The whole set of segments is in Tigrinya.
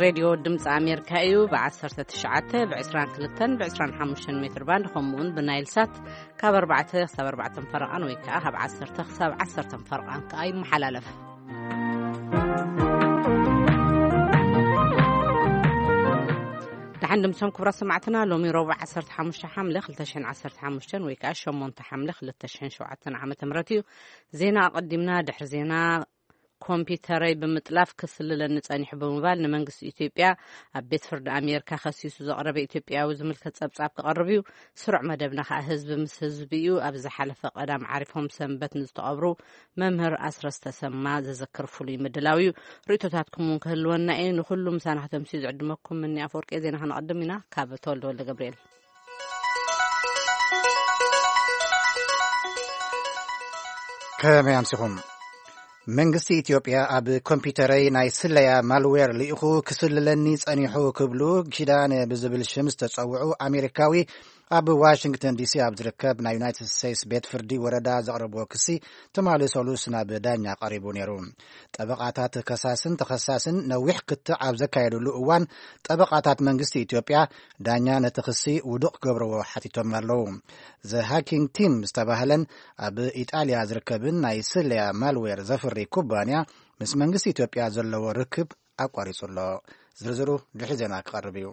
ሬድዮ ድምፂ ኣሜሪካ እዩ። ብ19፣ ብ22፣ ብ25 ሜትር ባንድ፣ ከምኡውን ብናይል ሳት ካብ ኣርባዕተ ክሳብ ኣርባዕተ ፈረቓን ወይ ከዓ ካብ ዓሰርተ ክሳብ ዓሰርተ ፈረቓን ከዓ ይመሓላለፍ። ደሓን ድምሶም ክቡራት ሰማዕትና፣ ሎሚ ረቡዕ ዓሰርተ ሓሙሽተ ሓምለ ክልተ ሽሕን ዓሰርተ ሓሙሽተን ወይ ከዓ ሸሞንተ ሓምለ ክልተ ሽሕን ሸውዓተን ዓመተ ምህረት እዩ። ዜና ኣቐዲምና። ድሕሪ ዜና፣ ኮምፒውተረይ ብምጥላፍ ክስልለኒ ጸኒሑ ብምባል ንመንግስቲ ኢትዮጵያ ኣብ ቤት ፍርዲ ኣሜሪካ ከሲሱ ዘቕረበ ኢትዮጵያዊ ዝምልከት ጸብጻብ ክቐርብ እዩ። ስሩዕ መደብና ከኣ ህዝቢ ምስ ህዝቢ እዩ። ኣብ ዝሓለፈ ቀዳም ዓሪፎም ሰንበት ንዝተቐብሩ መምህር ኣስረስ ተሰማ ዘዘክር ፍሉይ ምድላው እዩ። ርእይቶታትኩም እውን ክህልወና እዩ። ንኹሉ ምሳና ከተምስዩ ዝዕድመኩም ምኒ ኣፈወርቂ። ዜና ከነቐድም ኢና። ካብ ተወልደ ወልደ ገብርኤል። ከመይ ኣምሲኹም? መንግስቲ ኢትዮጵያ ኣብ ኮምፒውተረይ ናይ ስለያ ማልዌር ልኢኹ ክስልለኒ ጸኒሑ ክብሉ ኪዳነ ብዝብል ሽም ዝተጸውዑ ኣሜሪካዊ ኣብ ዋሽንግተን ዲሲ ኣብ ዝርከብ ናይ ዩናይትድ ስቴትስ ቤት ፍርዲ ወረዳ ዘቕረብዎ ክሲ ትማሊ ሰሉስ ናብ ዳኛ ቀሪቡ ነይሩ። ጠበቓታት ከሳስን ተኸሳስን ነዊሕ ክትዕ ኣብ ዘካየድሉ እዋን፣ ጠበቓታት መንግስቲ ኢትዮጵያ ዳኛ ነቲ ክሲ ውዱቕ ክገብርዎ ሓቲቶም ኣለዉ። ዘ ሃኪንግ ቲም ዝተባህለን ኣብ ኢጣልያ ዝርከብን ናይ ስለያ ማልዌር ዘፍሪ ኩባንያ ምስ መንግስቲ ኢትዮጵያ ዘለዎ ርክብ ኣቋሪጹ ኣሎ። ዝርዝሩ ድሕሪ ዜና ክቐርብ እዩ።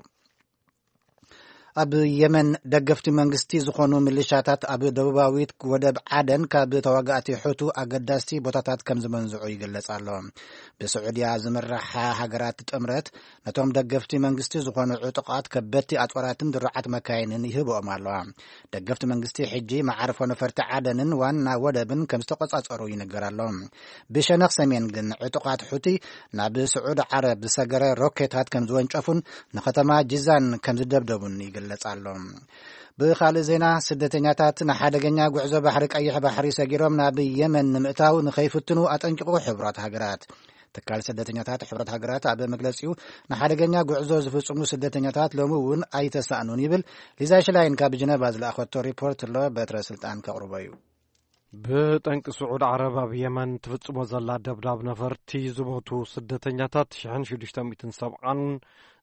ኣብ የመን ደገፍቲ መንግስቲ ዝኾኑ ሚሊሻታት ኣብ ደቡባዊት ወደብ ዓደን ካብ ተዋጋእቲ ሑቱ ኣገዳስቲ ቦታታት ከም ዝመንዝዑ ይግለጽ ኣሎ። ብስዑድያ ዝምራሕ ሃገራት ጥምረት ነቶም ደገፍቲ መንግስቲ ዝኾኑ ዕጡቓት ከበድቲ ኣጽዋራትን ድሩዓት መካይንን ይህብኦም ኣለዋ። ደገፍቲ መንግስቲ ሕጂ መዓርፎ ነፈርቲ ዓደንን ዋና ወደብን ከም ዝተቆጻጸሩ ይንገር ኣሎ። ብሸነኽ ሰሜን ግን ዕጡቓት ሑቲ ናብ ስዑድ ዓረብ ዝሰገረ ሮኬታት ከም ዝወንጨፉን ንከተማ ጂዛን ከም ዝደብደቡን ይግለጽ ኣሎ። ብኻልእ ዜና፣ ስደተኛታት ንሓደገኛ ጉዕዞ ባሕሪ ቀይሕ ባሕሪ ሰጊሮም ናብ የመን ንምእታው ንኸይፍትኑ ኣጠንቂቑ ሕቡራት ሃገራት። ትካል ስደተኛታት ሕብረት ሃገራት ኣብ መግለጺኡ፣ ንሓደገኛ ጉዕዞ ዝፍጽሙ ስደተኛታት ሎሚ እውን ኣይተሳእኑን ይብል። ሊዛ ሽላይን ካብ ጀነቫ ዝለኣኸቶ ሪፖርት ኣሎ፣ በትረ ስልጣን ከቕርቦ እዩ። ብጠንቂ ስዑድ ዓረብ ኣብ የመን ትፍጽሞ ዘላ ደብዳብ ነፈርቲ ዝሞቱ ስደተኛታት ሽሕን ሽዱሽተ ሚእትን ሰብዓን፣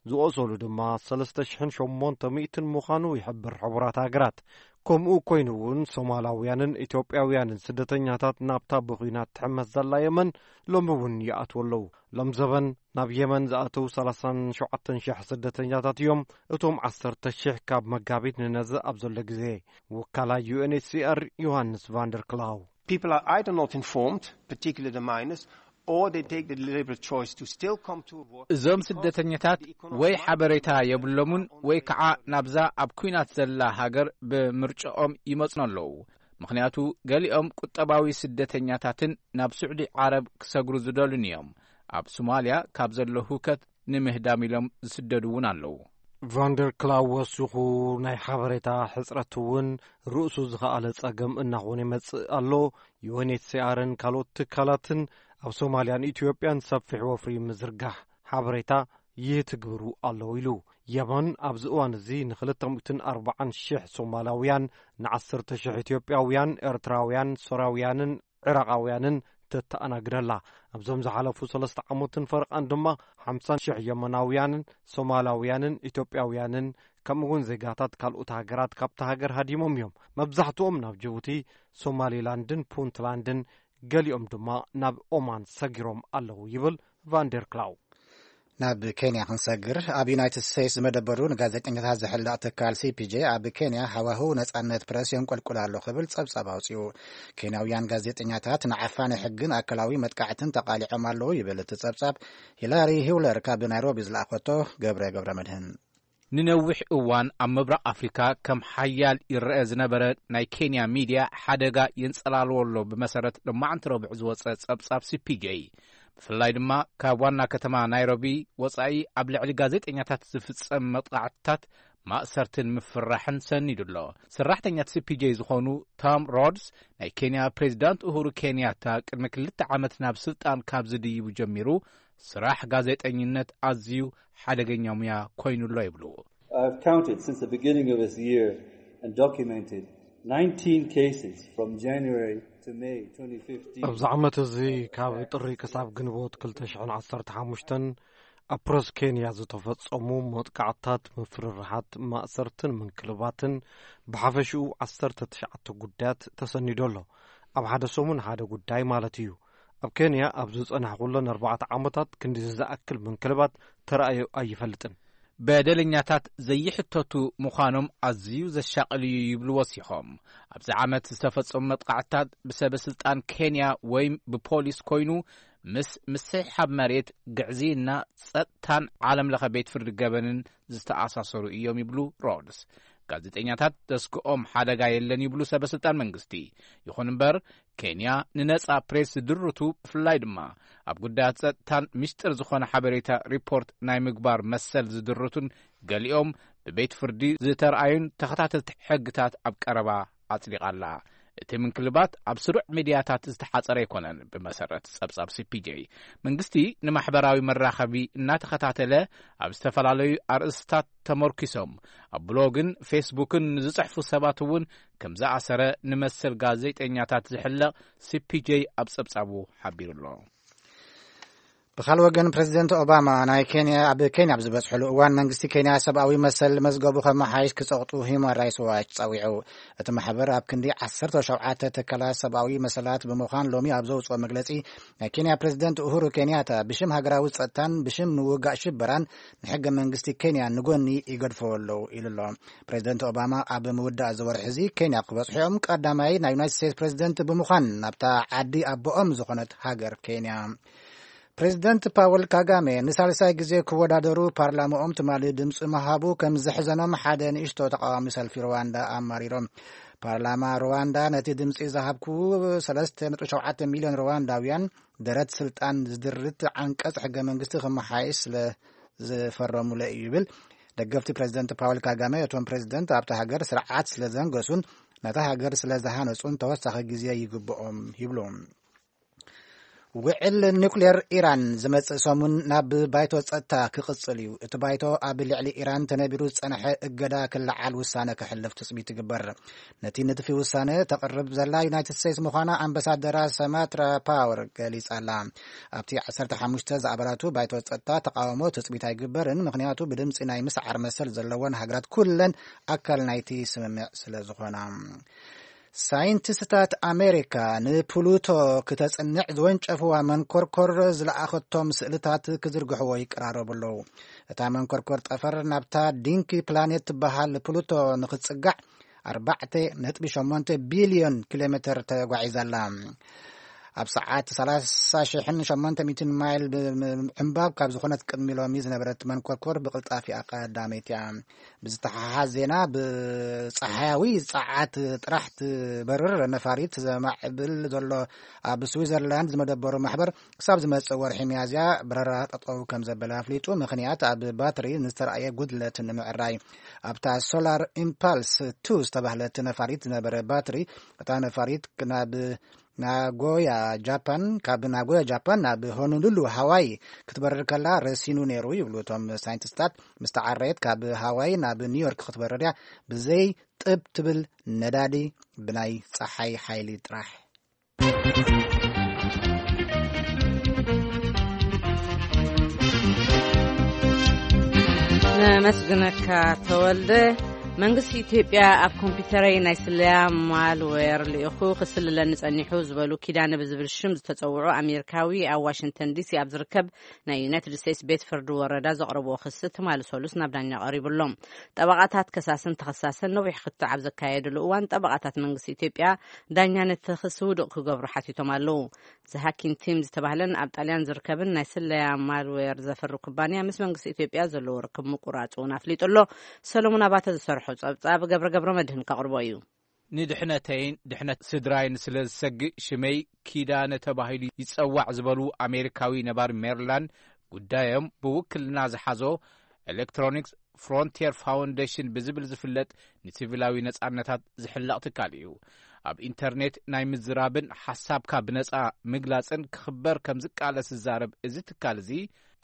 ዝቖሰሉ ድማ ሰለስተ ሽሕን ሸሞንተ ሚእትን ምዃኑ ይሕብር ሕቡራት ሃገራት። ከምኡ ኮይኑ እውን ሶማላውያንን ኢትዮጵያውያንን ስደተኛታት ናብታ ብኹናት ትሕመስ ዘላ የመን ሎሚ እውን ይኣትዉ ኣለዉ። ሎም ዘበን ናብ የመን ዝኣተዉ ሰላሳን ሸውዓተን ሽሕ ስደተኛታት እዮም። እቶም ዓሰርተ ሽሕ ካብ መጋቢት ንነዘ ኣብ ዘሎ ግዜ። ወካላ ዩ ኤን ኤች ሲ ኣር ዮሃንስ ቫንደር ክላው። People are either not informed, particularly the minors, or they take the deliberate choice to still come to work እዞም because ስደተኛታት the economic ወይ ሓበሬታ የብሎምን ወይ ከዓ ናብዛ ኣብ ኲናት ዘላ ሃገር ብምርጫኦም ይመጹ ኣለዉ። ምኽንያቱ ገሊኦም ቁጠባዊ ስደተኛታትን ናብ ስዑዲ ዓረብ ክሰግሩ ዝደሉን እዮም። ኣብ ሶማልያ ካብ ዘሎ ሁከት ንምህዳም ኢሎም ዝስደዱ እውን ኣለዉ። ቫንደር ክላው ወሲኹ፣ ናይ ሓበሬታ ሕጽረት እውን ርእሱ ዝኸኣለ ጸገም እናኾነ ይመጽእ ኣሎ። ዩ ኤን ኤች ሲ ኣርን ካልኦት ትካላትን ኣብ ሶማልያን ኢትዮጵያን ሰፊሕ ወፍሪ ምዝርጋሕ ሓበሬታ ይትግብሩ ኣለዉ ኢሉ። የመን ኣብዚ እዋን እዚ ንክልተ ሚእትን ኣርባዓን ሽሕ ሶማላውያን፣ ንዓሰርተ ሽሕ ኢትዮጵያውያን፣ ኤርትራውያን፣ ሶርያውያንን ዕራቓውያንን ተተኣናግድ ኣላ። ኣብዞም ዝሓለፉ ሰለስተ ዓመትን ፈረቓን ድማ ሓምሳ ሽሕ የመናውያንን ሶማላውያንን ኢትዮጵያውያንን ከምኡ እውን ዜጋታት ካልኦት ሃገራት ካብታ ሃገር ሃዲሞም እዮም። መብዛሕትኦም ናብ ጅቡቲ፣ ሶማሊላንድን ፑንትላንድን፣ ገሊኦም ድማ ናብ ኦማን ሰጊሮም ኣለዉ ይብል ቫንደር ክላው። ናብ ኬንያ ክንሰግር፣ ኣብ ዩናይትድ ስቴትስ ዝመደበሩ ንጋዜጠኛታት ዝሕለቕ ትካል ሲ ፒ ጄ ኣብ ኬንያ ሃዋህው ነጻነት ፕረስ የንቆልቁል ኣሎ ክብል ጸብጻብ ኣውጺኡ። ኬንያውያን ጋዜጠኛታት ንዓፋኒ ሕግን ኣካላዊ መጥቃዕትን ተቓሊዖም ኣለዉ ይብል እቲ ጸብጻብ። ሂላሪ ሂውለር ካብ ናይሮቢ ዝለኣኸቶ ገብረ ገብረ መድህን። ንነዊሕ እዋን ኣብ ምብራቕ ኣፍሪካ ከም ሓያል ይረአ ዝነበረ ናይ ኬንያ ሚድያ ሓደጋ የንጸላልዎ ኣሎ፣ ብመሰረት ሎማዕንቲ ረቡዕ ዝወጸ ጸብጻብ ሲ ፒ ጄ። ብፍላይ ድማ ካብ ዋና ከተማ ናይሮቢ ወጻኢ ኣብ ልዕሊ ጋዜጠኛታት ዝፍጸም መጥቃዕትታት፣ ማእሰርትን ምፍርራሕን ሰኒዱ ኣሎ። ሰራሕተኛት ሲ ፒ ጄ ዝኾኑ ቶም ሮድስ፣ ናይ ኬንያ ፕሬዚዳንት ኡሁሩ ኬንያታ ቅድሚ ክልተ ዓመት ናብ ስልጣን ካብ ዝድይቡ ጀሚሩ፣ ስራሕ ጋዜጠኝነት ኣዝዩ ሓደገኛ ሙያ ኮይኑ ኣሎ ይብሉ። I've counted since the beginning of this year and documented nineteen cases from January to May twenty fifteen. ኣብዚ ዓመት እዚ ካብ ጥሪ ክሳብ ግንቦት ክልተ ሽሕን ዓሰርተ ሓሙሽተን ኣብ ፕረስ ኬንያ ዝተፈጸሙ መጥቃዕትታት፣ ምፍርራሓት፣ ማእሰርትን ምንክልባትን፣ ብሓፈሽኡ ዓሰርተ ትሽዓተ ጉዳያት ተሰኒዱ ኣሎ። ኣብ ሓደ ሰሙን ሓደ ጉዳይ ማለት እዩ። ኣብ ኬንያ ኣብ ዝጸናሕኩለን ኣርባዕተ ዓመታት ክንዲ ዝኣክል ምንክልባት ተራእዩ ኣይፈልጥን። በደለኛታት ዘይሕተቱ ምዃኖም ኣዝዩ ዘሻቕል እዩ ይብሉ ወሲኾም። ኣብዚ ዓመት ዝተፈጸሙ መጥቃዕትታት ብሰበ ስልጣን ኬንያ ወይም ብፖሊስ ኮይኑ፣ ምስ ምስሕሓብ መሬት፣ ግዕዝይና፣ ጸጥታን ዓለም ለኸ ቤት ፍርዲ ገበንን ዝተኣሳሰሩ እዮም ይብሉ ሮድስ። ጋዜጠኛታት ዘስግኦም ሓደጋ የለን ይብሉ ሰበ ስልጣን መንግስቲ። ይኹን እምበር፣ ኬንያ ንነጻ ፕሬስ ዝድርቱ፣ ብፍላይ ድማ ኣብ ጉዳያት ጸጥታን ምስጢር ዝኾነ ሓበሬታ ሪፖርት ናይ ምግባር መሰል ዝድርቱን፣ ገሊኦም ብቤት ፍርዲ ዝተረኣዩን ተኸታተልቲ ሕግታት ኣብ ቀረባ ኣጽዲቓ ኣላ። እቲ ምንክልባት ኣብ ስሩዕ ሚድያታት ዝተሓጸረ ኣይኮነን። ብመሰረት ጸብጻብ ሲ ፒ ጄ፣ መንግስቲ ንማሕበራዊ መራኸቢ እናተኸታተለ፣ ኣብ ዝተፈላለዩ ኣርእስታት ተመርኪሶም ኣብ ብሎግን ፌስቡክን ንዝጽሕፉ ሰባት እውን ከም ዝኣሰረ ንመሰል ጋዜጠኛታት ዝሕለቕ ሲ ፒ ጄ ኣብ ጸብጻቡ ሓቢሩ ኣሎ። ብኻልእ ወገን፣ ፕሬዚደንት ኦባማ ናይ ኬንያ፣ ኣብ ኬንያ ኣብ ዝበጽሕሉ እዋን፣ መንግስቲ ኬንያ ሰብኣዊ መሰል መዝገቡ ከመሓይሽ ክጸቕጡ ሂውማን ራይትስ ዋች ጸዊዑ። እቲ ማሕበር ኣብ ክንዲ ዓሰርተ ሸውዓተ ትካላት ሰብኣዊ መሰላት ብምዃን፣ ሎሚ ኣብ ዘውጽኦ መግለጺ፣ ናይ ኬንያ ፕሬዚደንት ኡሁሩ ኬንያታ ብሽም ሃገራዊ ጸጥታን ብሽም ምውጋእ ሽበራን ንሕገ መንግስቲ ኬንያ ንጎኒ ይገድፍዎ ኣለዉ ኢሉ ኣሎ። ፕሬዚደንት ኦባማ ኣብ ምውዳእ እዚ ወርሒ እዚ ኬንያ ክበጽሑ እዮም። ቀዳማይ ናይ ዩናይትድ ስቴትስ ፕሬዚደንት ብምዃን ናብታ ዓዲ ኣቦኦም ዝኾነት ሃገር ኬንያ። ፕሬዚደንት ፓወል ካጋሜ ንሳልሳይ ግዜ ክወዳደሩ ፓርላማኦም ትማሊ ድምፂ ምሃቡ ከም ዘሕዘኖም ሓደ ንእሽቶ ተቃዋሚ ሰልፊ ሩዋንዳ ኣማሪሮም። ፓርላማ ሩዋንዳ ነቲ ድምፂ ዝሃብኩ ሰለስተ ነጥቢ ሸውዓተ ሚልዮን ሩዋንዳውያን ደረት ስልጣን ዝድርት ዓንቀፅ ሕገ መንግስቲ ክመሓየሽ ስለ ዝፈረሙለ እዩ ይብል። ደገፍቲ ፕሬዚደንት ፓወል ካጋሜ፣ እቶም ፕሬዚደንት ኣብታ ሃገር ስርዓት ስለ ዘንገሱን ነታ ሃገር ስለ ዝሃነጹን ተወሳኺ ግዜ ይግብኦም ይብሉ። ውዕል ኒውክሌር ኢራን ዝመጽእ ሰሙን ናብ ባይቶ ጸጥታ ክቕጽል እዩ። እቲ ባይቶ ኣብ ልዕሊ ኢራን ተነቢሩ ዝጸንሐ እገዳ ክለዓል ውሳነ ከሕልፍ ትጽቢት ይግበር። ነቲ ንድፊ ውሳነ ተቕርብ ዘላ ዩናይትድ ስቴትስ ምዃና ኣምባሳደራ ሰማትራ ፓወር ገሊጻ ኣላ። ኣብቲ ዓሰርተ ሓሙሽተ ዝኣባላቱ ባይቶ ጸጥታ ተቃውሞ ትጽቢት ኣይግበርን፣ ምኽንያቱ ብድምጺ ናይ ምስዓር መሰል ዘለወን ሃገራት ኩለን ኣካል ናይቲ ስምምዕ ስለ ዝኾና። ሳይንቲስትታት ኣሜሪካ ንፕሉቶ ክተጽንዕ ዝወንጨፍዋ መንኮርኮር ዝለኣኸቶም ስእልታት ክዝርግሕዎ ይቀራረቡ ኣለዉ። እታ መንኮርኮር ጠፈር ናብታ ዲንኪ ፕላኔት ትበሃል ፕሉቶ ንክትጽጋዕ ኣርባዕተ ነጥቢ ሸሞንተ ቢልዮን ኪሎ ሜተር ተጓዒዛ ኣላ። ኣብ ሰዓት ሰላሳ ሽሕን ሸሞንተ ሚእትን ማይል ብምዕንባብ ካብ ዝኾነት ቅድሚ ሎሚ ዝነበረት መንኮርኮር ብቕልጣፊኣ ቀዳመይቲ እያ። ብዝተሓሓዝ ዜና፣ ብጸሓያዊ ጸዓት ጥራሕ ትበርር ነፋሪት ዘማዕብል ዘሎ ኣብ ስዊዘርላንድ ዝመደበሩ ማሕበር፣ ክሳብ ዝመጽእ ወርሒ ሚያዝያ በረራ ጠጠው ከም ዘበለ ኣፍሊጡ። ምኽንያት፣ ኣብ ባትሪ ንዝተረኣየ ጉድለት ንምዕራይ። ኣብታ ሶላር ኢምፓልስ ቱ ዝተባህለት ነፋሪት ዝነበረ ባትሪ፣ እታ ነፋሪት ናብ ናጎያ ጃፓን፣ ካብ ናጎያ ጃፓን ናብ ሆኖሉሉ ሃዋይ ክትበርር ከላ ረሲኑ ነይሩ ይብሉ እቶም ሳይንቲስታት። ምስ ተዓረየት፣ ካብ ሃዋይ ናብ ኒውዮርክ ክትበርር እያ፣ ብዘይ ጥብ ትብል ነዳዲ፣ ብናይ ጸሓይ ሓይሊ ጥራሕ። ነመስግነካ ተወልደ። መንግስቲ ኢትዮጵያ ኣብ ኮምፒውተረይ ናይ ስለያ ማልዌር ልኢኹ ክስልለኒ ጸኒሑ ዝበሉ ኪዳነ ብዝብል ሽም ዝተጸውዑ ኣሜሪካዊ ኣብ ዋሽንግተን ዲሲ ኣብ ዝርከብ ናይ ዩናይትድ ስቴትስ ቤት ፍርዲ ወረዳ ዘቕረብዎ ክሲ ትማሊ ሰሉስ ናብ ዳኛ ቀሪቡ ኣሎ። ጠበቓታት ከሳስን ተኸሳስን ነዊሕ ክትዕ ኣብ ዘካየድሉ እዋን፣ ጠበቓታት መንግስቲ ኢትዮጵያ ዳኛ ነቲ ክሲ ውዱቕ ክገብሩ ሓቲቶም ኣለዉ። ዘሃኪን ቲም ዝተባህለን ኣብ ጣልያን ዝርከብን ናይ ስለያ ማልዌር ዘፍሪ ኩባንያ ምስ መንግስቲ ኢትዮጵያ ዘለዎ ርክብ ምቁራጹ እውን ኣፍሊጡ ኣሎ። ሰሎሞን ኣባተ ዝሰርሖ ጸብጻብ ገብረ ገብረ መድህን ከቕርቦ እዩ። ንድሕነተይን ድሕነት ስድራይን ስለ ዝሰግእ፣ ሽመይ ኪዳነ ተባሂሉ ይጸዋዕ ዝበሉ ኣሜሪካዊ ነባሪ ሜሪላንድ፣ ጉዳዮም ብውክልና ዝሓዞ ኤሌክትሮኒክስ ፍሮንቲየር ፋውንዴሽን ብዝብል ዝፍለጥ ንሲቪላዊ ነጻነታት ዝሕለቕ ትካል እዩ። ኣብ ኢንተርኔት ናይ ምዝራብን ሓሳብካ ብነጻ ምግላጽን ክኽበር ከም ዝቃለስ ዝዛረብ እዚ ትካል እዚ፣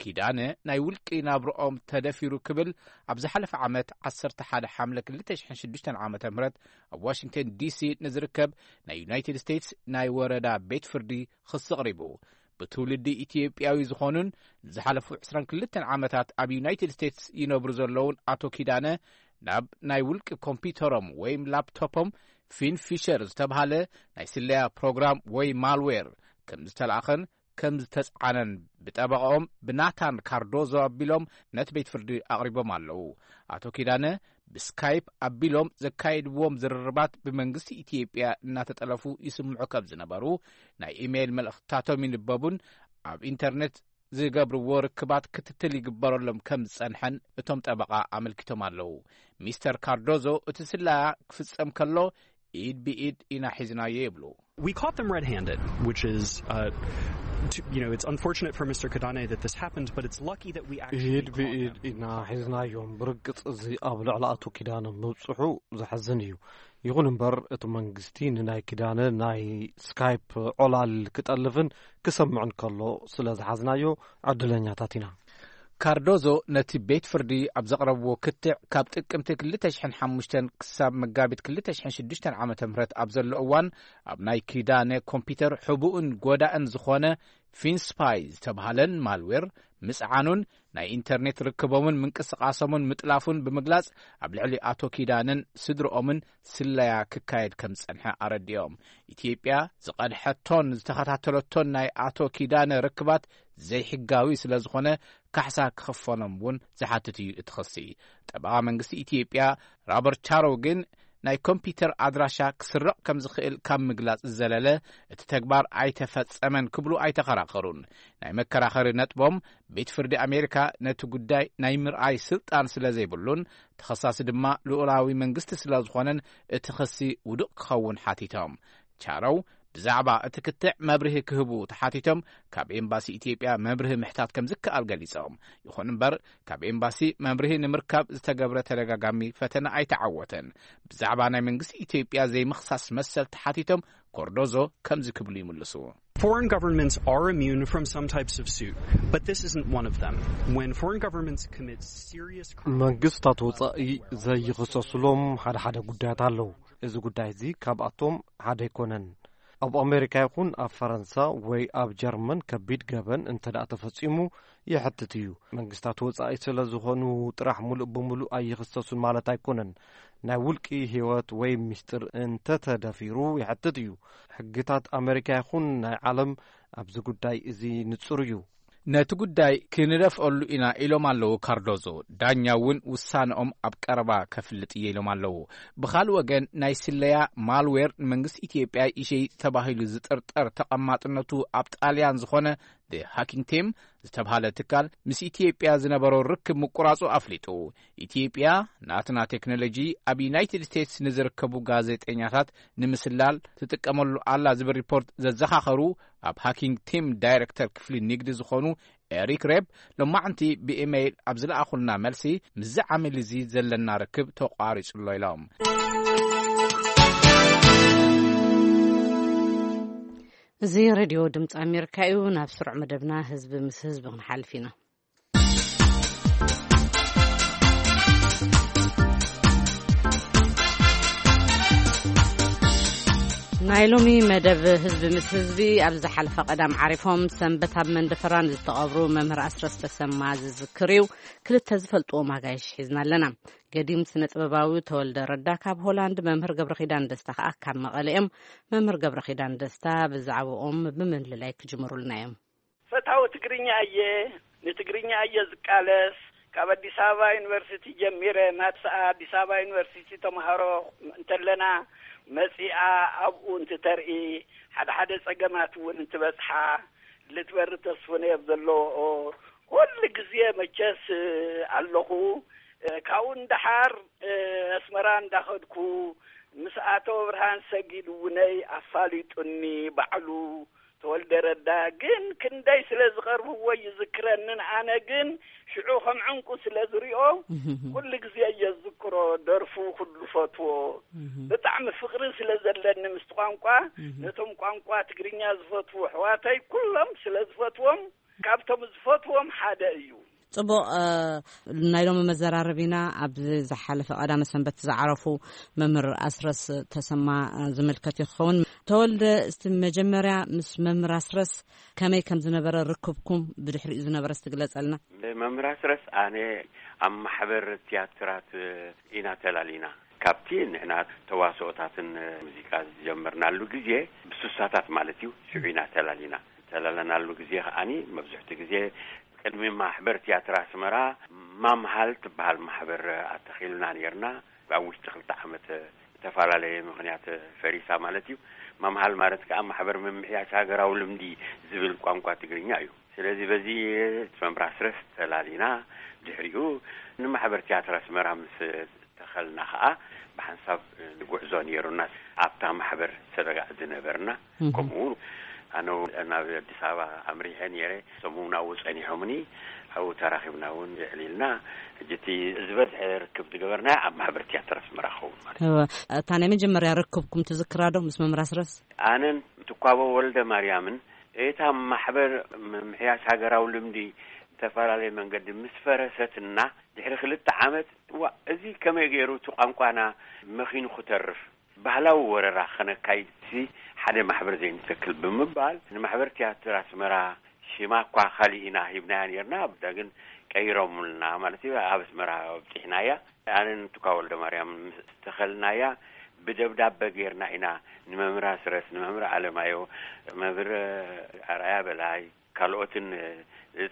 ኪዳነ ናይ ውልቂ ናብርኦም ተደፊሩ ክብል ኣብ ዝሓለፈ ዓመት ዓሰርተ ሓደ ሓምለ ክልተ ሽሕን ሽዱሽተን ዓመተ ምህረት ኣብ ዋሽንግተን ዲሲ ንዝርከብ ናይ ዩናይትድ ስቴትስ ናይ ወረዳ ቤት ፍርዲ ክሲ ኣቕሪቡ። ብትውልዲ ኢትዮጵያዊ ዝኾኑን ንዝሓለፉ ዕስራን ክልተን ዓመታት ኣብ ዩናይትድ ስቴትስ ይነብሩ ዘለውን ኣቶ ኪዳነ፣ ናብ ናይ ውልቂ ኮምፒውተሮም ወይም ላፕቶፖም ፊን ፊሸር ዝተብሃለ ናይ ስለያ ፕሮግራም ወይ ማልዌር ከም ዝተላእኸን ከም ዝተጻዕነን ብጠበቓኦም ብናታን ካርዶዞ ኣቢሎም ነቲ ቤት ፍርዲ ኣቕሪቦም ኣለዉ። ኣቶ ኪዳነ ብስካይፕ ኣቢሎም ዘካየድዎም ዝርርባት ብመንግስቲ ኢትዮጵያ እናተጠለፉ ይስምዑ ከም ዝነበሩ፣ ናይ ኢሜይል መልእኽትታቶም ይንበቡን ኣብ ኢንተርኔት ዝገብርዎ ርክባት ክትትል ይግበረሎም ከም ዝጸንሐን እቶም ጠበቓ ኣመልኪቶም ኣለዉ። ሚስተር ካርዶዞ እቲ ስለያ ክፍጸም ከሎ ኢድ ብኢድ ኢና ሒዝናዮ ይብሉ። We caught them red-handed, which is, uh, to, you know, it's unfortunate for Mister Kidane that this happened, but it's lucky that we actually ኢድ caught ብኢድ them. ኢና ሒዝናዮም። ብርግጽ እዚ ኣብ ልዕሊ ኣቶ ኪዳነ ምብጽሑ ዘሕዝን እዩ። ይኹን እምበር እቲ መንግስቲ ንናይ ኪዳነ ናይ ስካይፕ ዖላል ክጠልፍን ክሰምዕን ከሎ ስለ ዝሓዝናዮ ዕድለኛታት ኢና። ካርዶዞ ነቲ ቤት ፍርዲ ኣብ ዘቕረብዎ ክትዕ፣ ካብ ጥቅምቲ ክልተ ሽሕን ሓሙሽተን ክሳብ መጋቢት ክልተ ሽሕን ሽዱሽተን ዓመተ ምህረት ኣብ ዘሎ እዋን፣ ኣብ ናይ ኪዳነ ኮምፒተር ሕቡእን ጎዳእን ዝኾነ ፊንስፓይ ዝተብሃለን ማልዌር ምጽዓኑን ናይ ኢንተርኔት ርክቦምን ምንቅስቓሶምን ምጥላፉን ብምግላጽ፣ ኣብ ልዕሊ ኣቶ ኪዳነን ስድርኦምን ስለያ ክካየድ ከም ዝጸንሐ ኣረዲኦም። ኢትዮጵያ ዝቐድሐቶን ዝተኸታተለቶን ናይ ኣቶ ኪዳነ ርክባት ዘይሕጋዊ ስለ ዝኾነ፣ ካሕሳ ክኽፈሎም እውን ዝሓትት እዩ እቲ ክሲ። ጠበቓ መንግስቲ ኢትዮጵያ ሮበርት ቻሮ ግን፣ ናይ ኮምፒተር ኣድራሻ ክስረቕ ከም ዝኽእል ካብ ምግላጽ ዝዘለለ፣ እቲ ተግባር ኣይተፈጸመን ክብሉ ኣይተኸራኸሩን። ናይ መከራኸሪ ነጥቦም፣ ቤት ፍርዲ ኣሜሪካ ነቲ ጉዳይ ናይ ምርኣይ ስልጣን ስለ ዘይብሉን፣ ተኸሳሲ ድማ ልኡላዊ መንግስቲ ስለ ዝኾነን፣ እቲ ክሲ ውዱቕ ክኸውን ሓቲቶም። ቻረው ብዛዕባ እቲ ክትዕ መብርሂ ክህቡ ተሓቲቶም፣ ካብ ኤምባሲ ኢትዮጵያ መብርሂ ምሕታት ከም ዝከኣል ገሊጾም። ይኹን እምበር፣ ካብ ኤምባሲ መብርሂ ንምርካብ ዝተገብረ ተደጋጋሚ ፈተነ ኣይተዓወተን። ብዛዕባ ናይ መንግስቲ ኢትዮጵያ ዘይምኽሳስ መሰል ተሓቲቶም፣ ኮርዶዞ ከምዚ ክብሉ ይምልሱ። Foreign governments are immune from some types of suit, but this isn't one of them. When foreign governments commit serious crimes, መንግስታት ወጻኢ ዘይኽሰሱሎም ሓደ ሓደ ጉዳያት ኣለዉ። እዚ ጉዳይ እዚ ካብኣቶም ሓደ ኣይኮነን። ኣብ ኣሜሪካ ይኹን ኣብ ፈረንሳ ወይ ኣብ ጀርመን ከቢድ ገበን እንተ ደኣ ተፈጺሙ ይሕትት እዩ። መንግስታት ወጻኢ ስለ ዝኾኑ ጥራሕ ሙሉእ ብሙሉእ ኣይኽሰሱን ማለት ኣይኮነን። ናይ ውልቂ ህይወት ወይ ሚስጥር እንተ ተደፊሩ ይሕትት እዩ። ሕግታት ኣሜሪካ ይኹን ናይ ዓለም ኣብዚ ጉዳይ እዚ ንጹር እዩ። ነቲ ጉዳይ ክንደፍኦሉ ኢና ኢሎም ኣለዉ ካርዶዞ። ዳኛ እውን ውሳነኦም ኣብ ቀረባ ከፍልጥ እየ ኢሎም ኣለዉ። ብኻልእ ወገን፣ ናይ ስለያ ማልዌር ንመንግስቲ ኢትዮጵያ ይሸይጥ ተባሂሉ ዝጥርጠር ተቐማጥነቱ ኣብ ጣልያን ዝኾነ The Hacking Team ዝተብሃለ ትካል ምስ ኢትዮጵያ ዝነበሮ ርክብ ምቁራጹ ኣፍሊጡ። ኢትዮጵያ ናትና ቴክኖሎጂ ኣብ ዩናይትድ ስቴትስ ንዝርከቡ ጋዜጠኛታት ንምስላል ትጥቀመሉ ኣላ ዝብል ሪፖርት ዘዘኻኸሩ ኣብ ሃኪንግ ቲም ዳይሬክተር ክፍሊ ንግዲ ዝኾኑ ኤሪክ ሬብ፣ ሎማዕንቲ ብኢሜይል ኣብ ዝለኣኹልና መልሲ፣ ምስዚ ዓሚል እዚ ዘለና ርክብ ተቋሪጹ ኣሎ ኢሎም። እዚ ሬድዮ ድምፂ ኣሜሪካ እዩ። ናብ ስሩዕ መደብና ህዝቢ ምስ ህዝቢ ክንሓልፍ ኢና። ናይ ሎሚ መደብ ህዝቢ ምስ ህዝቢ፣ ኣብ ዝሓለፈ ቀዳም ዓሪፎም ሰንበት ኣብ መንደፈራ ንዝተቐብሩ መምህር ኣስረስ ተሰማ ዝዝክር እዩ። ክልተ ዝፈልጥዎም ኣጋይሽ ሒዝና ኣለና። ገዲም ስነ ጥበባዊ ተወልደ ረዳ ካብ ሆላንድ፣ መምህር ገብረ ኪዳን ደስታ ከኣ ካብ መቐለ እዮም። መምህር ገብረ ኪዳን ደስታ ብዛዕባኦም ብምልላይ ክጅምሩልና እዮም። ፈታዊ ትግርኛ እየ፣ ንትግርኛ እየ ዝቃለስ። ካብ ኣዲስ ኣበባ ዩኒቨርሲቲ ጀሚረ፣ ናትሰኣ ኣዲስ ኣበባ ዩኒቨርሲቲ ተምሃሮ እንተለና፣ መጺኣ ኣብኡ እንትተርኢ፣ ሓደ ሓደ ጸገማት እውን እንትበጽሓ፣ ልትበሪ ተስፉነየብ ዘለዎኦ፣ ኩሉ ግዜ መቸስ ኣለኹ። ካብኡ ንደሓር ኣስመራ እንዳኸድኩ፣ ምስ ኣቶ ብርሃን ሰጊድ እውነይ ኣፋሊጡኒ ባዕሉ። ተወልደ ረዳ ግን ክንደይ ስለ ዝቐርብዎ ይዝክረንን፣ ኣነ ግን ሽዑ ከም ዕንቁ ስለ ዝሪኦ፣ ኩሉ ግዜ እየ ዝዝክሮ። ደርፉ ኩሉ ፈትዎ። ብጣዕሚ ፍቕሪ ስለ ዘለኒ ምስቲ ቋንቋ፣ ነቶም ቋንቋ ትግርኛ ዝፈትዉ ኣሕዋተይ ኩሎም ስለ ዝፈትዎም፣ ካብቶም ዝፈትዎም ሓደ እዩ። ጽቡቕ። እ፣ ናይ ሎሚ መዘራረቢና ኣብ ዝሓለፈ ቀዳመ ሰንበት ዝዓረፉ መምህር ኣስረስ ተሰማ፣ እ፣ ዝምልከት እዩ ክኸውን። ተወልደ፣ እስቲ መጀመርያ ምስ መምህር ኣስረስ ከመይ ከም ዝነበረ ርክብኩም ብድሕሪኡ ዝነበረ እስቲ ግለጸልና። መምህር ኣስረስ ኣነ ኣብ ማሕበር ትያትራት ኢና ተላሊና። ካብቲ ንሕና ተዋስኦታትን ሙዚቃ ዝጀመርናሉ ግዜ፣ ብሱሳታት ማለት እዩ፣ ሽዑ ኢና ተላሊና። ተላለናሉ ግዜ ከኣኒ መብዝሕቲ ግዜ ቅድሚ ማሕበር ትያትር ኣስመራ ማምሃል ትበሃል ማሕበር ኣተኺልና ነርና። ኣብ ውሽጢ ክልተ ዓመት ዝተፈላለየ ምኽንያት ፈሪሳ ማለት እዩ። ማምሃል ማለት ከኣ ማሕበር ምምሕያሽ ሃገራዊ ልምዲ ዝብል ቋንቋ ትግርኛ እዩ። ስለዚ በዚ መምህር ኣስረስ ተላሊና፣ ድሕሪኡ ንማሕበር ትያትር ኣስመራ ምስ ተኸልና ከኣ ብሓንሳብ ጉዕዞ ነይሩና። ኣብታ ማሕበር ሰበጋዕ ዝነበርና፣ እህ። ከምኡ እውን ኣነ እውን ናብ ኣዲስ ኣበባ ኣምሪሐ ነይረ። እሶም እውን ኣብኡ ጸኒሖምኒ፣ ኣብኡ ተራኺብና እውን የዕሊልና። ሕጂ እቲ ዝበዝሐ ርክብ ዝገበርና ኣብ ማሕበር ትያትር ኣስመራ ክኸውን ማለት እዩ። እወ። እታ ናይ መጀመርያ ርክብኩም ትዝክራ ዶ ምስ መምህር ኣስረስ? ኣነን ትኳቦ ወልደ ማርያምን እታ ማሕበር ምምሕያሽ ሃገራዊ ልምዲ ዝተፈላለየ መንገዲ ምስ ፈረሰትና ድሕሪ ክልተ ዓመት፣ ዋ፣ እዚ ከመይ ገይሩ እቲ ቋንቋና መኺኑ ክተርፍ፣ ባህላዊ ወረራ ከነካይድ፣ እዚ ሓደ ማሕበር ዘይንተክል ብምባል ንማሕበር ትያትር ኣስመራ ሽማ እኳ ካሊእ ኢና ሂብናያ ነርና፣ ብዳ ግን ቀይሮምልና ማለት እዩ። ኣብ ኣስመራ ኣብጺሕናያ። ኣነን ትኳ ወልደ ማርያም ምስ ተኸልናያ ብደብዳበ ገይርና ኢና ንመምህር ኣስረስ፣ ንመምህር ኣለማዮ፣ መምህር ኣርኣያ በላይ፣ ካልኦትን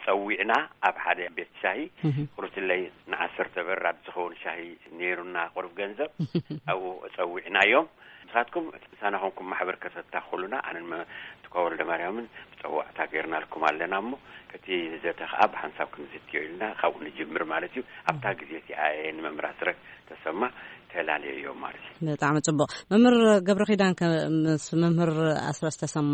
ጸዊዕና ኣብ ሓደ ቤት ሻሂ እህ። ቁርትለይ ንዓሰርተ በራድ ዝኸውን ሻሂ ነይሩና፣ ቁሩብ ገንዘብ ኣብኡ ጸዊዕናዮም። ንስኻትኩም ምሳና ኮንኩም ማሕበር ከተታኽሉና ኣነን መ-፣ ትኳ ወልደ ማርያምን ብጸዋዕታ ገይርናልኩም ኣለና እሞ፣ እቲ ዘተ ኸኣ ብሓንሳብ ክንዝትዮ ኢልና ካብኡ ንጅምር ማለት እዩ። ኣብታ ግዜ እቲኣ እየ ንመምህር ኣስረስ ተሰማ ተላለየዮ ማለት እዩ። ብጣዕሚ ጽቡቕ። መምህር ገብረ ኪዳን ከ ምስ መምህር ኣስረስ ተሰማ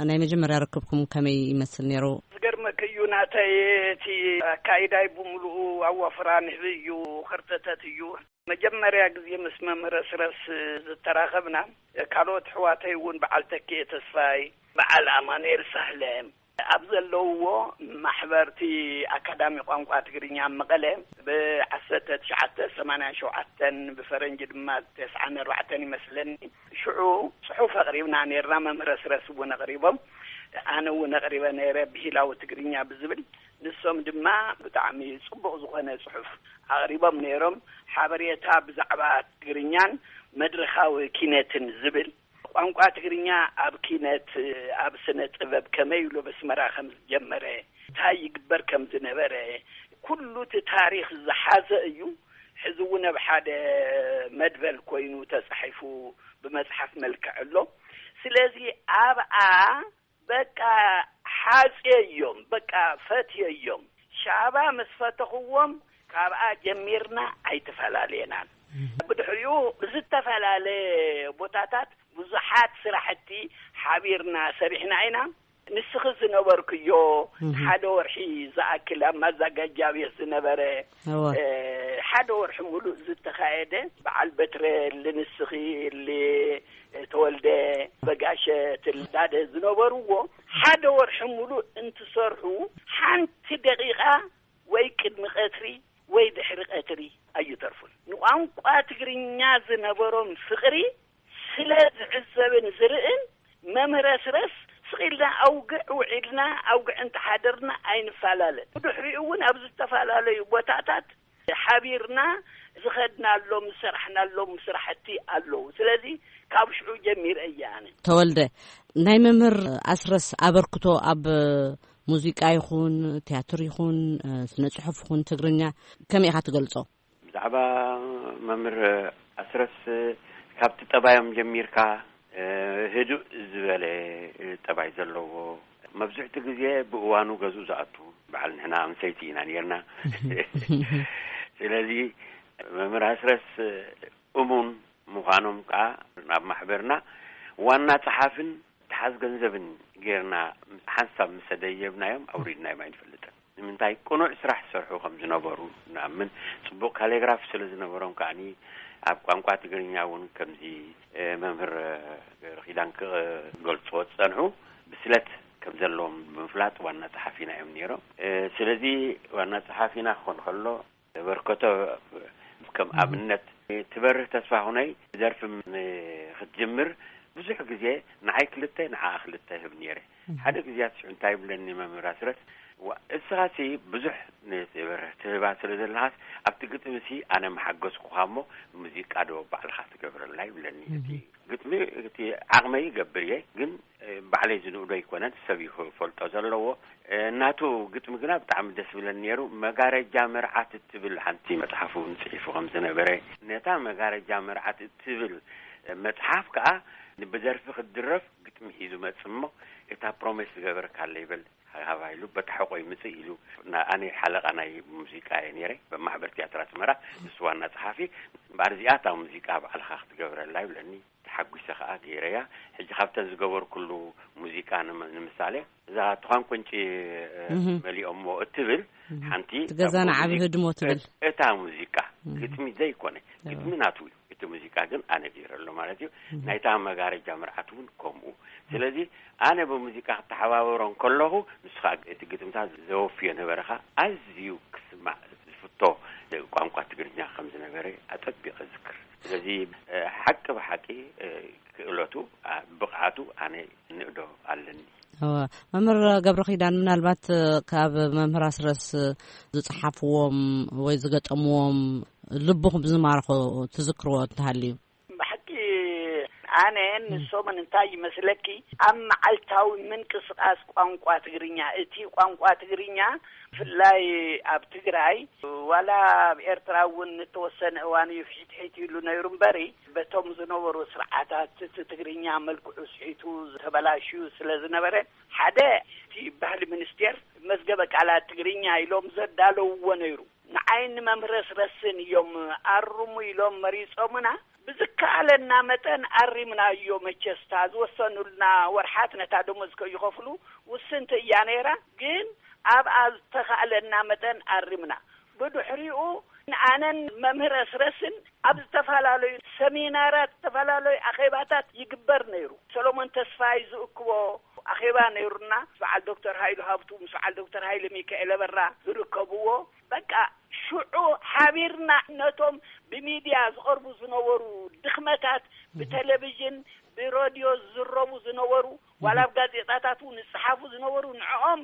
ናይ መጀመርያ ርክብኩም ከመይ ይመስል ነይሩ? ዝገርመኪ እዩ ናተይ፣ እቲ ኣካይዳይ ብምሉኡ ኣዋፍራ ንህቢ እዩ፣ ከርተተት እዩ። መጀመርያ ግዜ ምስ መምህር ኣስረስ ዝተራኸብና፣ ካልኦት ኣሕዋተይ እውን በዓል ተኪኤ ተስፋይ፣ በዓል ኣማኑኤል ሳህለ ኣብ ዘለውዎ ማሕበርቲ ኣካዳሚ ቋንቋ ትግርኛ ኣብ መቐለ ብዓሰርተ ትሽዓተ ሰማንያን ሸውዓተን ብፈረንጂ ድማ ተስዓን ኣርባዕተን ይመስለኒ። ሽዑ ጽሑፍ ኣቕሪብና ነይርና፣ መምህር ኣስረስ እውን ኣቕሪቦም፣ ኣነ እውን ኣቕሪበ ነይረ፣ ብሂላዊ ትግርኛ ብዝብል። ንሶም ድማ ብጣዕሚ ጽቡቕ ዝኾነ ጽሑፍ ኣቕሪቦም ነይሮም። ሓበሬታ ብዛዕባ ትግርኛን መድረኻዊ ኪነትን ዝብል፣ ቋንቋ ትግርኛ ኣብ ኪነት፣ ኣብ ስነ ጥበብ ከመይ ኢሉ ኣብ ኣስመራ ከም ዝጀመረ፣ እንታይ ይግበር ከም ዝነበረ፣ ኩሉ እቲ ታሪኽ ዝሓዘ እዩ። ሕዚ እውን ኣብ ሓደ መድበል ኮይኑ ተጻሒፉ ብመጽሓፍ መልክዕ ኣሎ። ስለዚ ኣብኣ በቃ ሓጽየዮም፣ በቃ ፈትየዮም። ሻባ ምስ ፈተኽዎም ካብኣ ጀሚርና ኣይተፈላለየናን። ብድሕሪኡ ብዝተፈላለየ ቦታታት ብዙሓት ስራሕቲ ሓቢርና ሰሪሕና ኢና። ንስኺ ዝነበርክዮ እህ። ሓደ ወርሒ ዝኣክል ኣብ ማዛጋጃ ቤት ዝነበረ፣ እወ። እ፣ ሓደ ወርሒ ሙሉእ ዝተኻየደ በዓል በትረ፣ ንስኺ፣ ተወልደ፣ በጋሸ፣ ትልዳደ ዝነበርዎ ሓደ ወርሒ ሙሉእ እንትሰርሑ ሓንቲ ደቂቓ ወይ ቅድሚ ቀትሪ ወይ ድሕሪ ቀትሪ ኣይተርፉን። ንቋንቋ ትግርኛ ዝነበሮም ፍቕሪ ስለ ዝዕዘብን ዝርእን፣ መምህር ኣስረስ ስቕ ኢልና ኣውግዕ ውዒልና፣ ኣውግዕ እንተሓደርና ኣይንፈላለን። ብድሕሪኡ እውን ኣብ ዝተፈላለዩ ቦታታት ሓቢርና ዝኸድናሎም ዝሰራሕናሎም ስራሕቲ ኣለዉ። ስለዚ ካብ ሽዑ ጀሚረ እየ ኣነ። ተወልደ፣ ናይ መምህር ኣስረስ ኣበርክቶ ኣብ ሙዚቃ ይኹን፣ ትያትር ይኹን፣ ስነ ጽሑፍ ይኹን ትግርኛ ከመይ ኢኻ ትገልጾ? ብዛዕባ መምህር ኣስረስ፣ ካብቲ ጠባዮም ጀሚርካ፣ ህዱእ ዝበለ ጠባይ ዘለዎ፣ መብዝሕቲ ግዜ ብእዋኑ ገዝኡ ዝኣቱ፣ በዓል ንሕና ኣንሰይቲ ኢና ነርና። ስለዚ መምህር ኣስረስ እሙን ምዃኖም ከኣ ናብ ማሕበርና ዋና ጸሓፍን ተሓዝ ገንዘብን ጌርና ሓንሳብ ምስ ሰደየብናዮም ኣውሪድናዮም ኣይንፈልጥን። ንምንታይ? ቅኑዕ ስራሕ ዝሰርሑ ከም ዝነበሩ ንኣምን። ጽቡቕ ካሊግራፍ ስለ ዝነበሮም ከኣኒ ኣብ ቋንቋ ትግርኛ እውን ከምዚ፣ እ፣ መምህር ገብረኪዳን ክገልጽዎ ዝጸንሑ ብስለት ከም ዘለዎም ብምፍላጥ ዋና ጸሓፊና እዮም ነይሮም። እ፣ ስለዚ ዋና ጸሓፊና ክኾን ከሎ በርከቶ ከም ኣብነት ትበርህ ተስፋ ሁነይ ደርፊ ም-፣ ክትጅምር ብዙሕ ግዜ ንዓይ ክልተ ንዓኣ ክልተ ህብ ነይረ። ሓደ ግዜያት ሽዑ እንታይ ይብለኒ መምህር ኣስረስ፣ "ዋ፣ እስኻሲ ብዙሕ ንትበርህ ትህባ ስለ ዘለኻስ ኣብቲ ግጥምሲ ኣነ መሓገዝኩኻ እሞ ሙዚቃ ዶ ባዕልኻ ትገብረላ?" ይብለኒ። እቲ ግጥሚ እቲ ዓቕመይ ይገብር እየ፣ ግን፣ እ፣ ባዕለይ ዝንእዶ ኣይኮነን፣ ሰብ እዩ ክፈልጦ ዘለዎ። እ፣ ናቱ ግጥሚ ግና ብጣዕሚ ደስ ብለኒ ነይሩ። መጋረጃ መርዓት እትብል ሓንቲ መጽሓፍ እውን ጽሒፉ ከም ዝነበረ፣ ነታ መጋረጃ መርዓት እትብል መጽሓፍ ከኣ ብደርፊ ክትድረፍ ግጥሚ ሒዙ መጽእ እሞ፣ እታ ፕሮሜስ ዝገበርካለይ በል ሃባ ኢሉ፣ በታ ሕቆይ ምጽእ ኢሉ፣ ና-፣ ኣነ ሓለቓ ናይ ሙዚቃ እየ ነይረ፣ በማሕበር ትያትር ኣስመራ፣ ንሱ ዋና ጸሓፊ። እምበኣር እዚኣ እታ ሙዚቃ ባዕልኻ ክትገብረላ ይብለኒ። ተሓጒሰ ኸኣ ገይረያ። ሕጂ ካብተን ዝገበርኩሉ ሙዚቃ ንመ-፣ ንምሳሌ፣ እዛ ትዃን ቁንጪ፣ እ፣ እህ። መሊኦሞ እትብል እህ። ሓንቲ እቲ ገዛና ካብ ዓቢ ሙዚቃ ህድሞ ትብል። እታ ሙዚቃ እህ። ግጥሚ ዘይኮነ፣ እዎ። ግጥሚ ናቱ እዩ። እቲ ሙዚቃ ግን ኣነ ገይረሉ ማለት እዩ። እህ። ናይታ መጋረጃ መርዓት እውን ከምኡ። ስለዚ ኣነ ብሙዚቃ ክተሓባበሮ እንከለኹ፣ ንሱ ኸኣ እቲ ግጥምታት ዘወፍዮ ነበረ ኸኣ ኣዝዩ ክስማዕ ዝፍቶ ቋንቋ ትግርኛ ከም ዝነበረ ኣጸቢቐ እዝክር። ስለዚ፣ እ፣ ሓቂ ብሓቂ፣ እ፣ ክእለቱ፣ ኣ፣ ብቕዓቱ ኣነ እንእዶ ኣለኒ። እወ፣ መምህር ገብረ ኪዳን፣ ምናልባት፣ እ፣ ካብ መምህር ኣስረስ ዝጸሓፍዎም ወይ ዝገጠምዎም ልብኹም ዝማርኾ ትዝክርዎ እንተሃልዩ? ብሓቂ ኣነ ንሶምን እንታይ ይመስለኪ፣ ኣብ መዓልታዊ ምንቅስቓስ ቋንቋ ትግርኛ፣ እቲ ቋንቋ ትግርኛ ብፍላይ ኣብ ትግራይ፣ ዋላ ኣብ ኤርትራ እውን ንተወሰነ እዋን እዩ ፍሒትሒት ኢሉ ነይሩ እምበሪ፣ በቶም ዝነበሩ ስርዓታት እቲ ትግርኛ መልክዑ ስሒቱ ተበላሽዩ ስለ ዝነበረ፣ ሓደ እቲ ባህሊ ሚኒስቴር መዝገበ ቃላት ትግርኛ ኢሎም ዘዳለውዎ ነይሩ። ንዓይን ንመምህር ኣስረስን እዮም ኣርሙ ኢሎም መሪጾምና። ብዝከኣለና መጠን ኣሪምናዮ። መቸስ እታ ዝወሰኑልና ወርሓት ነታ ደሞዝ ከይኸፍሉ ውስንቲ እያ ነይራ፣ ግን ኣብኣ ዝተኻእለና መጠን ኣሪምና። ብድሕሪኡ ኣነን መምህር ኣስረስን ኣብ ዝተፈላለዩ ሰሚናራት፣ ዝተፈላለዩ ኣኼባታት ይግበር ነይሩ። ሰሎሞን ተስፋይ ዝእክቦ ኣኼባ ነይሩና፣ ምስ በዓል ዶክተር ሃይሉ ሃብቱ፣ ምስ በዓል ዶክተር ሃይለ ሚካኤል ኣበራ ዝርከብዎ። በቃ ሽዑ ሓቢርና ነቶም ብሚድያ ዝቐርቡ ዝነበሩ ድኽመታት፣ ብቴሌቪዥን፣ ብሬድዮ ዝዝረቡ ዝነበሩ፣ ዋላ ኣብ ጋዜጣታት እውን ዝጸሓፉ ዝነበሩ፣ ንዕኦም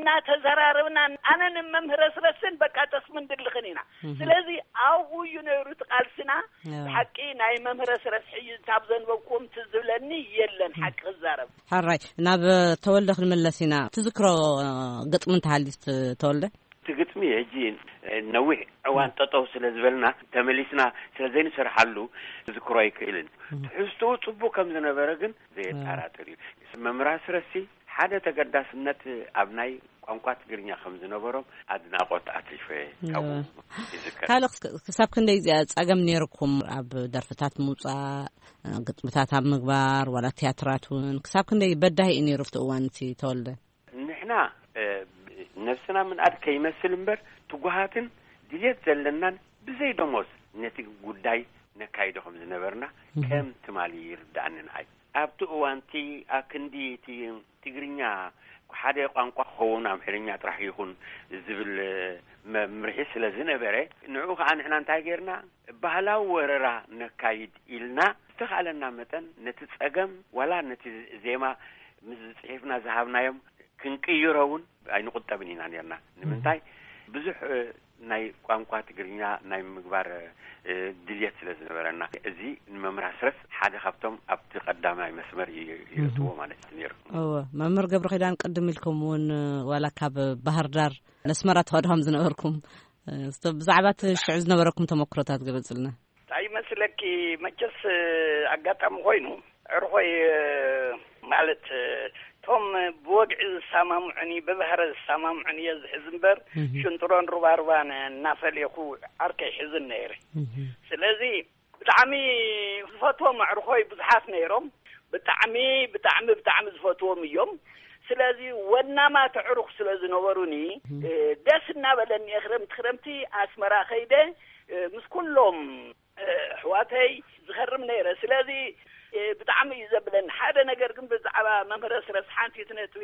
እናተዘራረብና፣ ኣነ ንመምህር ኣስረስን በቃ ጠስምን ድልኽን ኢና። እህ። ስለዚ ኣብኡ እዩ ነይሩ እቲ ቃልስና። እዎ። ብሓቂ ናይ መምህር ኣስረስ ሕጂ ካብ ዘንበብኩዎም ትዝ ዝብለኒ የለን፣ እህ። ሓቂ ክዛረብ። ሕራይ፣ ናብ ተወልደ ክንምለስ ኢና። ትዝክሮ፣ እ፣ ግጥሚ እንተሃልዩ፣ ት-፣ ተወልደ? እቲ ግጥሚ ሕጂ፣ እ፣ ነዊሕ እዋን እም። ጠጠው ስለ ዝበልና፣ ተመሊስና ስለ ዘይንሰርሓሉ፣ ክዝክሮ ኣይክእልን። እም። ትሕዝትኡ ጽቡቕ ከም ዝነበረ ግን ዘየጠራጥር እዩ። መምህር ኣስረስሲ ሓደ ተገዳስነት ኣብ ናይ ቋንቋ ትግርኛ ከም ዝነበሮም ኣድናቖት ኣትሪፈ ካብኡ እም። ይዝከር። ካልእ ክስ-፣ ክሳብ ክንደይ እዚኣ ጸገም ነይርኩም ኣብ ደርፍታት ምውጻእ፣ ግጥምታት ኣብ ምግባር፣ ዋላ ትያትራት እውን? ክሳብ ክንደይ በዳሂ እዩ ነይሩ ኣብቲ እዋን እቲ ተወልደ? ንሕና፣ እ፣ ነብስና ምንኣድ ከይመስል እምበር፣ ትጉሃትን ድልየት ዘለናን ብዘይ ደሞዝ ነቲ ጉዳይ ነካይዶ ከም ዝነበርና እህ። ከም ትማሊ ይርድኣኒ ንዓይ። ኣብቲ እዋን እቲ ኣክንዲ እቲ ትግርኛ ሓደ ቋንቋ ክኸውን ኣምሓርኛ ጥራሕ ይኹን ዝብል መምርሒ ስለ ዝነበረ፣ ንዕኡ ኸዓ ንሕና እንታይ ጌርና? ባህላዊ ወረራ ነካይድ ኢልና ዝተኻእለና መጠን ነቲ ጸገም ዋላ ነቲ ዜማ ምስ ጽሒፍና ዝሃብናዮም ክንቅይሮ እውን ኣይንቑጠብን ኢና ኔርና። ንምንታይ? ብዙሕ፣ እ፣ ናይ ቋንቋ ትግርኛ ናይ ምግባር፣ እ፣ ድልየት ስለ ዝነበረና፣ እዚ ንመምህር ኣስረስ ሓደ ካብቶም ኣብቲ ቀዳማይ መስመር ይ-፣ ይእትዎ እህ። ማለት እዩ ነይሩ። እወ፣ መምህር ገብረ ኪዳን፣ ቅድም ኢልኩም እውን፣ እ፣ ዋላ ካብ ባህር ዳር ነስመራ ትኸዱ ከም ዝነበርኩም፣ እ፣ እስቶ ብዛዕባ እቲ ሽዑ ዝነበረኩም ተመክሮታት ግለጽልና። እንታይ ይመስለኪ፣ መቸስ ኣጋጣሚ ኮይኑ፣ ዕርኾይ ማለት፣ እቶም ብወግዒ ዝሰማምዑኒ፣ ብባህረ ዝሰማምዑኒ እየ ዝሕዝ እምበር፣ እህ። ሽንጥሮን ሩባሩባን እናፈለኹ ዓርከይ ሕዝን ነይረ። እህ። ስለዚ ብጣዕሚ ዝፈትዎም ኣዕርኾይ ብዙሓት ነይሮም። ብጣዕሚ፣ ብጣዕሚ፣ ብጣዕሚ ዝፈትዎም እዮም። ስለዚ ወናማት ኣዕሩኽ ስለ ዝነበሩኒ፣ እህ። እ፣ ደስ እናበለኒ እየ ክረምቲ፣ ክረምቲ ኣስመራ ከይደ፣ እ፣ ምስ ኩሎም፣ እ፣ ኣሕዋተይ ዝኸርም ነይረ። ስለዚ ብጣዕሚ እዩ ዘብለኒ። ሓደ ነገር ግን ብዛዕባ መምህር ኣስረስ ሓንቲ ነጥቢ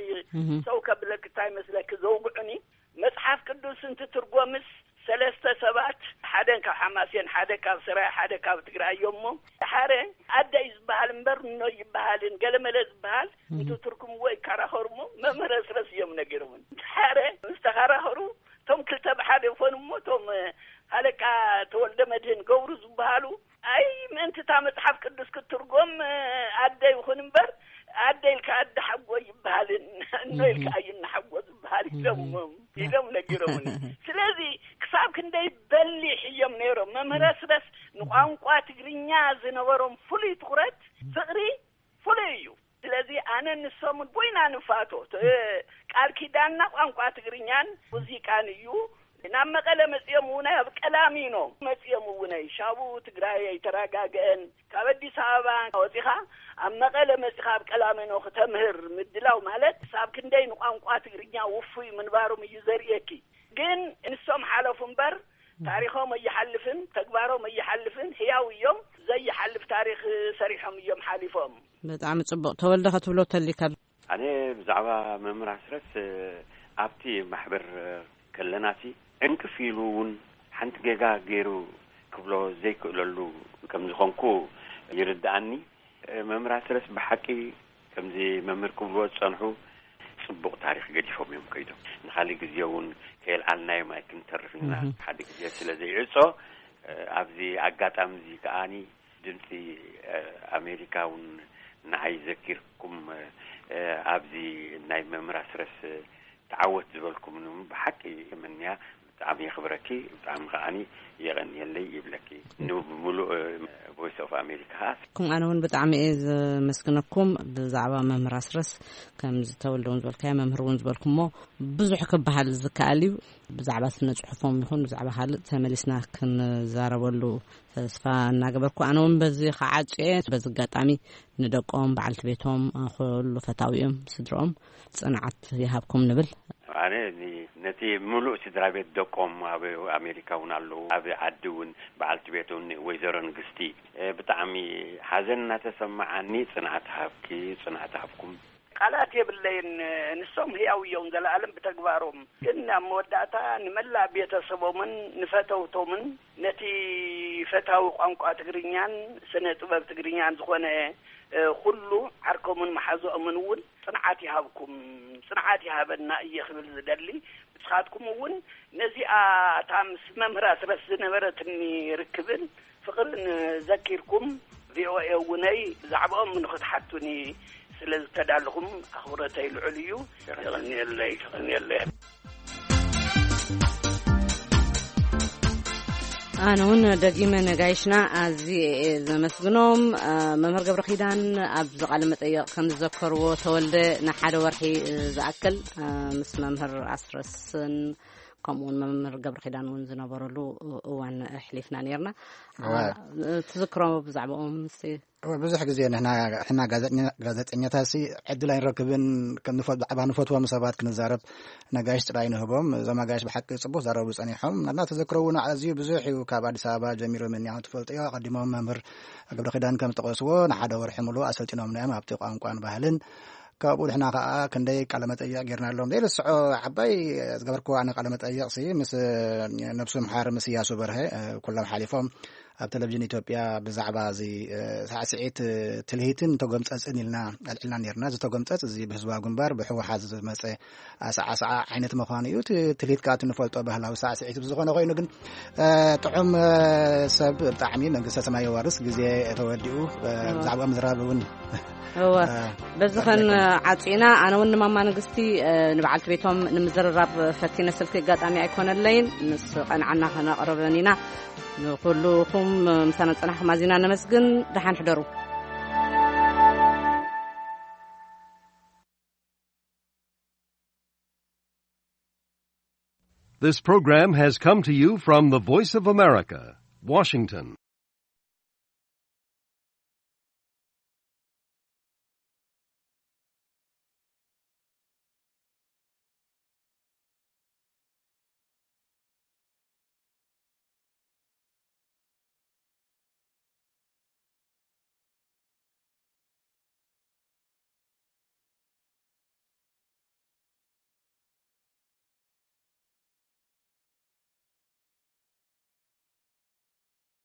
ሰው ከብለክ እንታይ መስለክ ዘውግዑኒ፣ መጽሓፍ ቅዱስ እንትትርጎምስ ሰለስተ ሰባት፣ ሓደ ካብ ሓማሴን፣ ሓደ ካብ ሰራይ፣ ሓደ ካብ ትግራይ እዮም። እሞ ሓደ ኣደይ ዝበሃል እምበር እኖ ይበሃልን ገለመለ ዝበሃል እንትትርጉምዎ ይከራኸሩ። እሞ መምህር ኣስረስ እዮም ነጊሮምን። ሓደ ምስ ተኸራኸሩ፣ እቶም ክልተ ብሓደ ይኾኑ። እሞ እቶም ሃለቃ ተወልደ መድህን ገብሩ ዝበሃሉ፣ ኣይ ምእንቲ እታ መጽሓፍ ቅዱስ ክትትርጎም ኣደ ይኹን እምበር፣ ኣደ ኢልካ ኣደ ሓጎ ይበሃልን እኖ ኢልካ እዩ እናሓጎ ዝበሃል ኢሎም፣ ኢሎም ነጊሮምኒ። ስለዚ ክሳብ ክንደይ በሊሕ እዮም ነይሮም። መምህር ኣስረስ ንቋንቋ ትግርኛ ዝነበሮም ፍሉይ ትኹረት፣ ፍቕሪ ፍሉይ እዩ። ስለዚ ኣነ ንሶምን ቦይና ንፋቶ። እ፣ ቃል ኪዳንና ቋንቋ ትግርኛን ሙዚቃን እዩ። ናብ መቐለ መጺኦም እውን ኣብ ቀላሚኖ መጺኦም እውን፣ ሻቡ ትግራይ ኣይተረጋግአን። ካብ ኣዲስ ኣበባ ወጺኻ ኣብ መቐለ መጺኻ ኣብ ቀላሚኖ ክተምህር ምድላው ማለት ክሳብ ክንደይ ንቋንቋ ትግርኛ ውፉይ ምንባሮም እዩ ዘርእየኪ። ግን ንሶም ሓለፉ እምበር ታሪኾም ኣይሓልፍን፣ ተግባሮም ኣይሓልፍን። ህያው እዮም። ዘይሓልፍ ታሪኽ ሰሪሖም እዮም ሓሊፎም። ብጣዕሚ ጽቡቕ። ተወልደ፣ ክትብሎ ተሊካ? ኣነ ብዛዕባ መምህር ኣስረስ፣ እ፣ ኣብቲ ማሕበር፣ እ፣ ከለናሲ ዕንቅፍ ኢሉ እውን ሓንቲ ጌጋ ገይሩ ክብሎ ዘይክእለሉ ከም ዝኾንኩ ይርድኣኒ። እ፣ መምህር ኣስረስ ብሓቂ ከምዚ መምህር ክብልዎ ዝጸንሑ ጽቡቕ ታሪኽ ገዲፎም እዮም ከይዶም። ንኻልእ ግዜ እውን ከየልዓልናዮም ኣይክንተርፍ ኢና። ሓደ ግዜ ስለ ዘይዕጾ፣ እ፣ ኣብዚ ኣጋጣሚ እዚ ከኣኒ ድምፂ፣ እ፣ ኣሜሪካ እውን ንዓይ ዘኪርኩም፣ እ፣ ኣብዚ ናይ መምህር ኣስረስ ተዓወት ዝበልኩም ብሓቂ የመንያ። ብጣዕሚ የኽብረኪ፣ ብጣዕሚ ከዓኒ የቐንየለይ ይብለኪ። ንምሉእ ቮይስ ኦፍ ኣሜሪካ። ከም ኣነ እውን ብጣዕሚ እየ ዘመስግነኩም። ብዛዕባ መምህር ኣስረስ ከም ዝተወልደ እውን ዝበልካዮ፣ መምህር እውን ዝበልኩሞ ብዙሕ ክበሃል ዝከኣል እዩ። ብዛዕባ ስነ ጽሑፎም ይኹን ብዛዕባ ካልእ ተመሊስና ክንዛረበሉ ተስፋ እናገበርኩ፣ ኣነ እውን በዚ ከዓጽየ፣ በዚ ኣጋጣሚ ንደቆም፣ በዓልቲ ቤቶም፣ ኩሉ ፈታዊኦም፣ ስድሮኦም ጽንዓት ይሃብኩም ንብል። ኣነ ኒ-፣ ነቲ ምሉእ ስድራ ቤት ደቆም ኣብ ኣሜሪካ እውን ኣለዉ። ኣብ ዓዲ እውን በዓልቲ ቤት እውን ወይዘሮ ንግስቲ፣ እ፣ ብጣዕሚ ሓዘን እናተሰማዓኒ፣ ጽንዓት ሃብኪ፣ ጽንዓት ሃብኩም። ቃላት የብለይን። ንሶም ህያው እዮም፣ ዘለኣለም ብተግባሮም። ግን ኣብ መወዳእታ ንመላእ ቤተሰቦምን ንፈተውቶምን ነቲ ፈታዊ ቋንቋ ትግርኛን ስነ ጥበብ ትግርኛን ዝኾነ፣ እ፣ ኩሉ ዓርኮምን መሓዝኦምን እውን ጽንዓት ይሃብኩም፣ ጽንዓት ይሃበና እየ ክብል ዝደሊ። ንስኻትኩም እውን ነዚኣ እታ ምስ መምህር ኣስረስ ዝነበረትኒ ርክብን ፍቕርን ዘኪርኩም፣ ቪኦኤ እውነይ ብዛዕባኦም ንኽትሓቱኒ ስለ ዝተዳለኹም ኣኽብሮተይ ልዑል እዩ። የቐንየለይ፣ የቐንየለይ። ኣነ እውን ደጊመ ነጋይሽና ኣዝየ እየ ዘመስግኖም። እ፣ መምህር ገብረ ኪዳን ኣብዚ ቃለ መጠየቕ ከም ዝዘከርዎ፣ ተወልደ ንሓደ ወርሒ፣ እ፣ ዝኣክል፣ እ፣ ምስ መምህር ኣስረስን ከምኡ እውን መምህር ገብረ ኪዳን እውን ዝነበረሉ እዋን ኣሕሊፍና ነይርና። እዋ። እ፣ ትዝክሮ ብዛዕባኦም እስቲ? እወ፣ ብዙሕ ግዜ ንሕና፣ ንሕና ጋዜጠኛ-፣ ጋዜጠኛታትሲ ዕድል ኣይንረክብን። ከም ንፈ-፣ ብዛዕባ ንፈትዎም ሰባት ክንዛረብ ነጋይሽ ጥራይ ንህቦም። እዞም ኣጋይሽ ብሓቂ ጽቡቕ ዛረቡ ጸኒሖም። ናትና ተዘክሮ እውን ኣዝዩ ብዙሕ እዩ። ካብ ኣዲስ ኣበባ ጀሚሩ ምንያው ትፈልጥዮ። ኣቐዲሞም መምህር ገብረ ኪዳን ከም ዝጠቐስዎ ንሓደ ወርሒ ሙሉእ ኣሰልጢኖምና እዮም ኣብቲ ቋንቋን ባህልን። ካብኡ ንሕና ከኣ ክንደይ ቃለ መጠይቕ ጌርናሎም። ዘይርስዖ ዓባይ ዝገበርክዎ ኣነ ቃለ መጠይቕሲ ምስ ነብሱ ምሓር ምስ እያሱ በርሀ፣ ኩሎም ሓሊፎም ኣብ ቴሌቪዥን ኢትዮጵያ ብዛዕባ እዚ፣ እ፣ ሳዕስዒት፣ እ፣ ትልሂትን ተጎምጸጽን ኢልና ኣልዒልና ነይርና። እዚ ተጎምጸጽ እዚ ብህዝባዊ ግንባር ብህወሓት ዝመጸ ኣሰዓስዓ ዓይነት ምዃኑ እዩ። እቲ ትልሂት ከኣ እቲ ንፈልጦ ባህላዊ ሳዕስዒት ብዝኾነ ኮይኑ ግን፣ እ፣ ጥዑም፣ እ፣ ሰብ ብጣዕሚ መንግስተ ሰማይ የዋርስ። ግዜ ተወዲኡ፣ እ፣ እዋ። ብዛዕባ ምዝራብ እውን፣ እወ። እ፣ በዚ ኸን ዓጺና፣ ኣነ እውን ንማማ ንግስቲ፣ እ፣ ንበዓልቲ ቤቶም ንምዝርራብ ፈቲነ ስልኪ ኣጋጣሚ ኣይኮነለይን። ምስ ቀንዓና ከነቕርበን ኢና። ንኹልኹም ምሳና ዝጸናሕኩም ኣዚና ነመስግን። ደሓን ሕደሩ። This program has come to you from the Voice of America, Washington.